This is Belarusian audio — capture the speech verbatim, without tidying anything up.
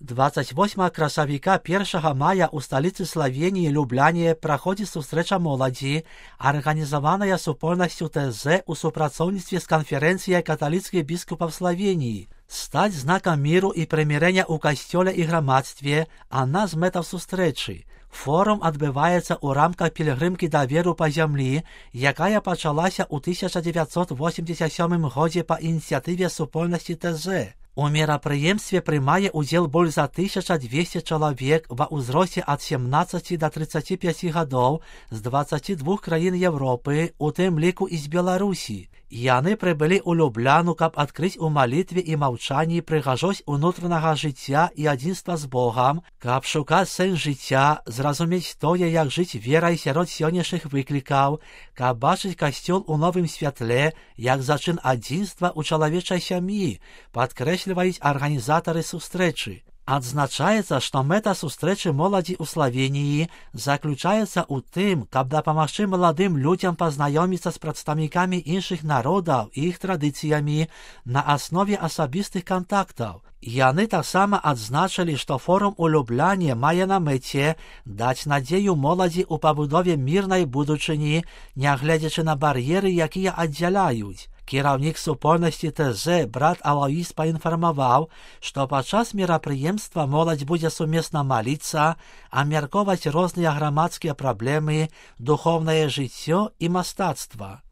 двадцять восьмага красавіка першага мая ў сталіцы Славеніі Любляне праходзіць сустрэча моладзі, арганізаваная супольнасцю ТЗ у супрацоўніцтве з канферэнцыяй каталіцкіх біскупаў Славеніі. Стаць знакам міру і прымірэння ў касцёле і грамадстве, адна з мэтаў сустрэчы. Форум адбываецца ў рамках пілігрымкі даверу па зямлі, якая пачалася ў тысяча дзевяцьсот восемьдесят сёмым годзе па ініцыятыве супольнасці ТЗ. У мерапрыемстве прымае ўдзел больш за тысяча двести чалавек ва ўзросце ад семнаццаці да трыццаці пяці гадоў з дваццаці двух краін Европы, у тым ліку і з Беларусі. Яны прыбылі ў Любляну, каб адкрыць у малітве і маўчанні прыгажосць унутранага жыцця і адзінства з Богам, каб шукаць сэнс жыцця, зразумець тое, як жыць верай сярод сённяшніх выклікаў, каб бачыць касцёл у новым святле, як зачын адзінства ў чалавечай сям'і, падкрэсліваюць арганізатары сустрэчы. Адзначаецца, што мэта сустрэчы моладзі ў Славеніі заключаецца ў тым, каб дапамагчы маладым людзям пазнаёміцца з прадстаўнікамі іншых народаў і іх традыцыямі на аснове асабістых кантактаў. Яны таксама адзначылі, што форум у Любляне мае на мэце даць надзею моладзі ў пабудове мірнай будучыні, нягледзячы на бар'еры, якія аддзяляюць. Кіраўнік супольнасці ТЗ брат Алоіс паінфармаваў, што падчас мерапрыемства моладзь будзе сумесна маліцца, абмяркоўваць розныя грамадскія праблемы, духоўнае жыццё і мастацтва.